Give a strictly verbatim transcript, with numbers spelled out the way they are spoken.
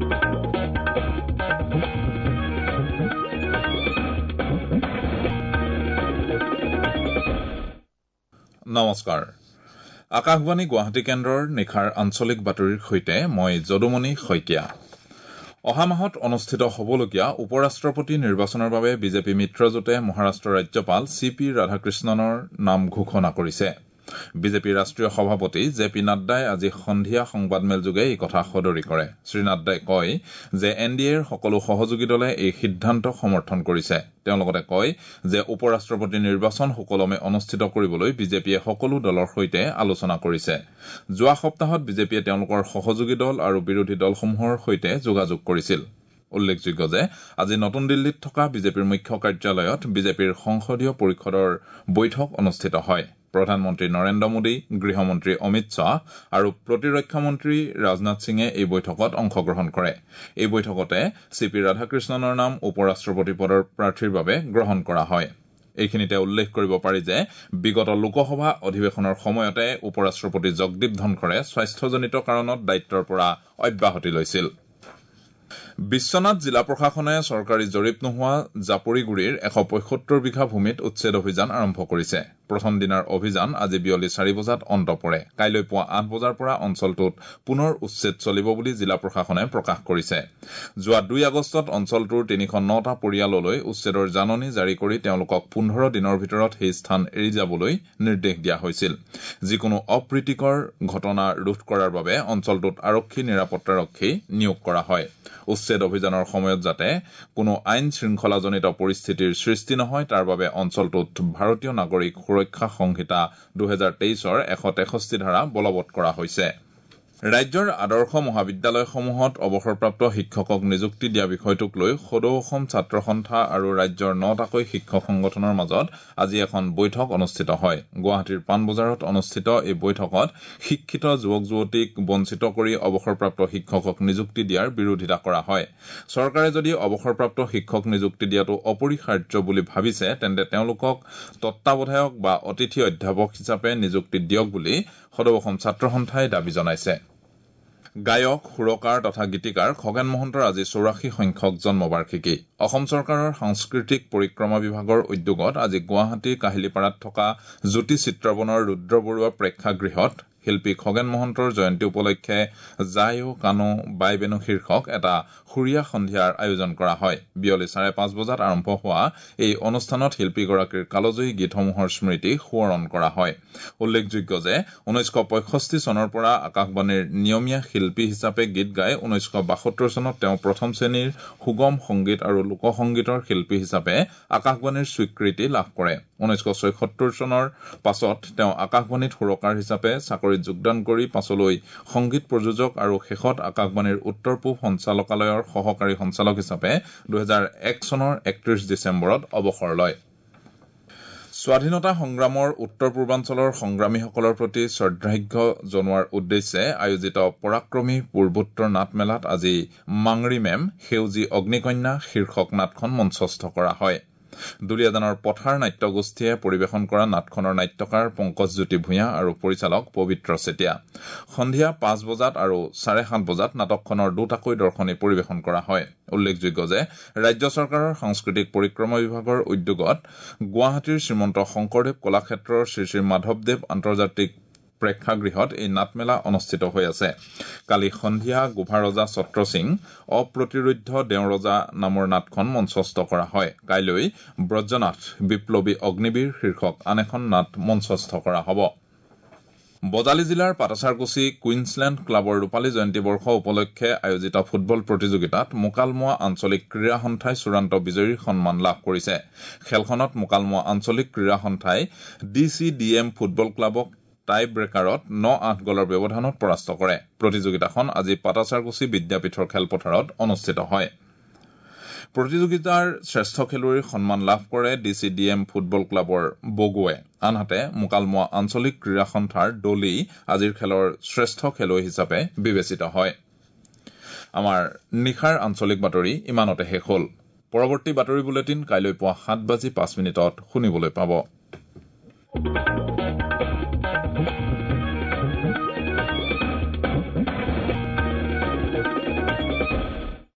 নমস্কাৰ। আকাশবাণী গুৱাহাটী কেন্দ্ৰৰ নিশাৰ আঞ্চলিক বাতৰিৰ সৈতে মই যদুমণি শইকীয়া। অহা মাহত অনুষ্ঠিত হ'বলগীয়া উপ-ৰাষ্ট্ৰপতি নিৰ্বাচনৰ বাবে বিজেপি মিত্ৰজোঁটে মহাৰাষ্ট্ৰৰ ৰাজ্যপাল চি পি ৰাধাকৃষ্ণনৰ নাম ঘোষণা কৰিছে। বিজেপিৰ ৰাষ্ট্ৰীয় সভাপতি জে পি নাড্ডাই আজি সন্ধিয়া সংবাদমেলযোগে এই কথা সদৰি কৰে। শ্ৰীনাড্ডাই কয় যে এন ডি এৰ সকলো সহযোগী দলে এই সিদ্ধান্তক সমৰ্থন কৰিছে। তেওঁ লগতে কয় যে উপ-ৰাষ্ট্ৰপতি নিৰ্বাচন সুকলমে অনুষ্ঠিত কৰিবলৈ বিজেপিয়ে সকলো দলৰ সৈতে আলোচনা কৰিছে। যোৱা সপ্তাহত বিজেপিয়ে তেওঁলোকৰ সহযোগী দল আৰু বিৰোধী দলসমূহৰ সৈতে যোগাযোগ কৰিছিল। উল্লেখযোগ্য যে আজি নতুন দিল্লীত থকা বিজেপিৰ মুখ্য কাৰ্যালয়ত বিজেপিৰ সংসদীয় পৰিষদৰ বৈঠক অনুষ্ঠিত হয়। প্ৰধানমন্ত্ৰী নৰেন্দ্ৰ মোদী, গৃহমন্ত্ৰী অমিত শ্বাহ আৰু প্ৰতিৰক্ষা মন্ত্ৰী ৰাজনাথ সিঙে এই বৈঠকত অংশগ্ৰহণ কৰে। এই বৈঠকতে চি পি ৰাধাকৃষ্ণনৰ নাম উপ-ৰাষ্ট্ৰপতি পদৰ প্ৰাৰ্থীৰ বাবে গ্ৰহণ কৰা হয়। এইখিনিতে উল্লেখ কৰিব পাৰি যে বিগত লোকসভা অধিৱেশনৰ সময়তে উপ-ৰাষ্ট্ৰপতি জগদীপ ধনখৰে স্বাস্থ্যজনিত কাৰণত দায়িত্বৰ পৰা অব্যাহতি লৈছিল। বিশ্বনাথ জিলা প্ৰশাসনে চৰকাৰী জৰীপ নোহোৱা জাপৰিগুৰিৰ এশ পঁয়সত্তৰ বিঘা ভূমিত উচ্ছেদ অভিযান আৰম্ভ কৰিছে। প্ৰথম দিনাৰ অভিযান আজি বিয়লি চাৰি বজাত অন্ত পৰে। কাইলৈ পুৱা আঠ বজাৰ পৰা অঞ্চলটোত পুনৰ উচ্ছেদ চলিব বুলি জিলা প্ৰশাসনে প্ৰকাশ কৰিছে। যোৱা দুই আগষ্টত অঞ্চলটোৰ তিনিশ নটা পৰিয়াললৈ উচ্ছেদৰ জাননী জাৰি কৰি তেওঁলোকক পোন্ধৰ দিনৰ ভিতৰত সেই স্থান এৰি যাবলৈ নিৰ্দেশ দিয়া হৈছিল। যিকোনো অপ্ৰীতিকৰ ঘটনা ৰোধ কৰাৰ বাবে অঞ্চলটোত আৰক্ষী নিৰাপত্তাৰক্ষী নিয়োগ কৰা হয়। উচ্ছেদ অভিযানৰ সময়ত যাতে কোনো আইন শৃংখলাজনিত পৰিস্থিতিৰ সৃষ্টি নহয় তাৰ বাবে অঞ্চলটোত ভাৰতীয় নাগৰিক সুৰক্ষা সংহিতা দুহেজাৰ তেইছৰ এশ তেষষ্ঠি ধাৰা বলবৎ কৰা হৈছে। ৰাজ্যৰ আদৰ্শ মহাবিদ্যালয়সমূহত অৱসৰপ্ৰাপ্ত শিক্ষকক নিযুক্তি দিয়া বিষয়টোক লৈ সদৌ অসম ছাত্ৰ সন্থা আৰু ৰাজ্যৰ নটাকৈ শিক্ষক সংগঠনৰ মাজত আজি এখন বৈঠক অনুষ্ঠিত হয়। গুৱাহাটীৰ পাণবজাৰত অনুষ্ঠিত এই বৈঠকত শিক্ষিত যুৱক যুৱতীক বঞ্চিত কৰি অৱসৰপ্ৰাপ্ত শিক্ষকক নিযুক্তি দিয়াৰ বিৰোধিতা কৰা হয়। চৰকাৰে যদি অৱসৰপ্ৰাপ্ত শিক্ষক নিযুক্তি দিয়াটো অপৰিহাৰ্য বুলি ভাবিছে তেন্তে তেওঁলোকক তত্বাৱধায়ক বা অতিথি অধ্যাপক হিচাপে নিযুক্তি দিয়ক বুলি সদৌ অসম ছাত্ৰ সন্থাই দাবী জনাইছে। গায়ক, সুৰকাৰ তথা গীতিকাৰ খগেন মহন্তৰ আজি চৌৰাশী সংখ্যক জন্মবাৰ্ষিকী। অসম চৰকাৰৰ সাংস্কৃতিক পৰিক্ৰমা বিভাগৰ উদ্যোগত আজি গুৱাহাটীৰ কাহিলীপাৰাত থকা জ্যোতি চিত্ৰবনৰ ৰুদ্ৰ বৰুৱা প্ৰেক্ষাগৃহত শিল্পী খগেন মহন্তৰ জয়ন্তী উপলক্ষে যায় ও কানো বাই বেনু শীৰ্ষক এটা সুৰীয়া সন্ধিয়াৰ আয়োজন কৰা হয়। বিয়লি চাৰে পাঁচ বজাত আৰম্ভ হোৱা এই অনুষ্ঠানত শিল্পীগৰাকীৰ কালজয়ী গীতসমূহৰ স্মৃতি সোঁৱৰণ কৰা হয়। উল্লেখযোগ্য যে ঊনৈছশ পঁয়ষষ্ঠি চনৰ পৰা আকাশবাণীৰ নিয়মীয়া শিল্পী হিচাপে গীত গাই ঊনৈছশ বাসত্তৰ চনত তেওঁ প্ৰথম শ্ৰেণীৰ সুগম সংগীত আৰু লোকসংগীতৰ শিল্পী হিচাপে আকাশবাণীৰ স্বীকৃতি লাভ কৰে। ঊনৈছশ ছয়সত্তৰ চনৰ পাছত তেওঁ আকাশবাণীত সুৰকাৰ হিচাপে চাকৰিত যোগদান কৰি পাছলৈ সংগীত প্ৰযোজক আৰু শেষত আকাশবাণীৰ উত্তৰ পূব সঞ্চালকালয়ৰ সহকাৰী সঞ্চালক হিচাপে দুহেজাৰ এক চনৰ একত্ৰিশ ডিচেম্বৰত অৱসৰ লয়। স্বাধীনতা সংগ্ৰামৰ উত্তৰ পূৰ্বাঞ্চলৰ সংগ্ৰামীসকলৰ প্ৰতি শ্ৰদ্ধাৰ্ঘ্য জনোৱাৰ উদ্দেশ্যে আয়োজিত পৰাক্ৰমী পূৰ্বোত্তৰ নাটমেলাত আজি মাংৰি মেম সেউজী অগ্নিকন্যা শীৰ্ষক নাটখন মঞ্চস্থ কৰা হয়। দুলীয়াজানৰ পথাৰ নাট্যগোষ্ঠীয়ে পৰিৱেশন কৰা নাটখনৰ নাট্যকাৰ পংকজজ্যোতি ভূঞা আৰু পৰিচালক পবিত্ৰ চেতিয়া। সন্ধিয়া পাঁচ বজাত আৰু চাৰে সাত বজাত নাটকখনৰ দুটাকৈ দৰ্শনী পৰিৱেশন কৰা হয়। উল্লেখযোগ্য যে ৰাজ্য চৰকাৰৰ সাংস্কৃতিক পৰিক্ৰমা বিভাগৰ উদ্যোগত গুৱাহাটীৰ শ্ৰীমন্ত শংকৰদেৱ কলাক্ষেত্ৰৰ শ্ৰী শ্ৰী মাধৱদেৱ আন্তৰ্জাতিক প্ৰেক্ষাগৃহত এই নাটমেলা অনুষ্ঠিত হৈ আছে। কালি সন্ধিয়া গোভাৰজা ছত্ৰসিং অপ্ৰতিৰোধ্য দেওৰজা নামৰ নাটখন মঞ্চস্থ কৰা হয়। কাইলৈ ব্ৰজনাথ বিপ্লৱী অগ্নিবীৰ শীৰ্ষক আন এখন নাট মঞ্চস্থ কৰা হ'ব। বজালী জিলাৰ পাটাছাৰকুছি কুইন্সলেণ্ড ক্লাবৰ ৰূপালী জয়ন্তী বৰ্ষ উপলক্ষে আয়োজিত ফুটবল প্ৰতিযোগিতাত মোকালমোৱা আঞ্চলিক ক্ৰীড়া সন্থাই চূড়ান্ত বিজয়ীৰ সন্মান লাভ কৰিছে। খেলখনত মোকালমোৱা আঞ্চলিক ক্ৰীড়া সন্থাই D C D M football ক্লাবক Tai ব্ৰেকাৰত ন আঠ গলৰ ব্যৱধানত পৰাস্ত কৰে। প্ৰতিযোগিতাখন আজি পাটাছাৰকুছি বিদ্যাপীঠৰ খেলপথাৰত অনুষ্ঠিত হয়। প্ৰতিযোগিতাৰ শ্ৰেষ্ঠ খেলুৱৈৰ সন্মান লাভ কৰে D C D M football ক্লাবৰ বগুৱে। আনহাতে মোকালমোৱা আঞ্চলিক ক্ৰীড়া সন্থাৰ ডলি আজিৰ খেলৰ শ্ৰেষ্ঠ খেলুৱৈ হিচাপে বিবেচিত হয়। আমাৰ নিশাৰ আঞ্চলিক বাতৰি ইমানতে শেষ হ'ল। পৰৱৰ্তী বাতৰি বুলেটিন কাইলৈ পুৱা সাত বাজি পাঁচ মিনিটত শুনিবলৈ পাব।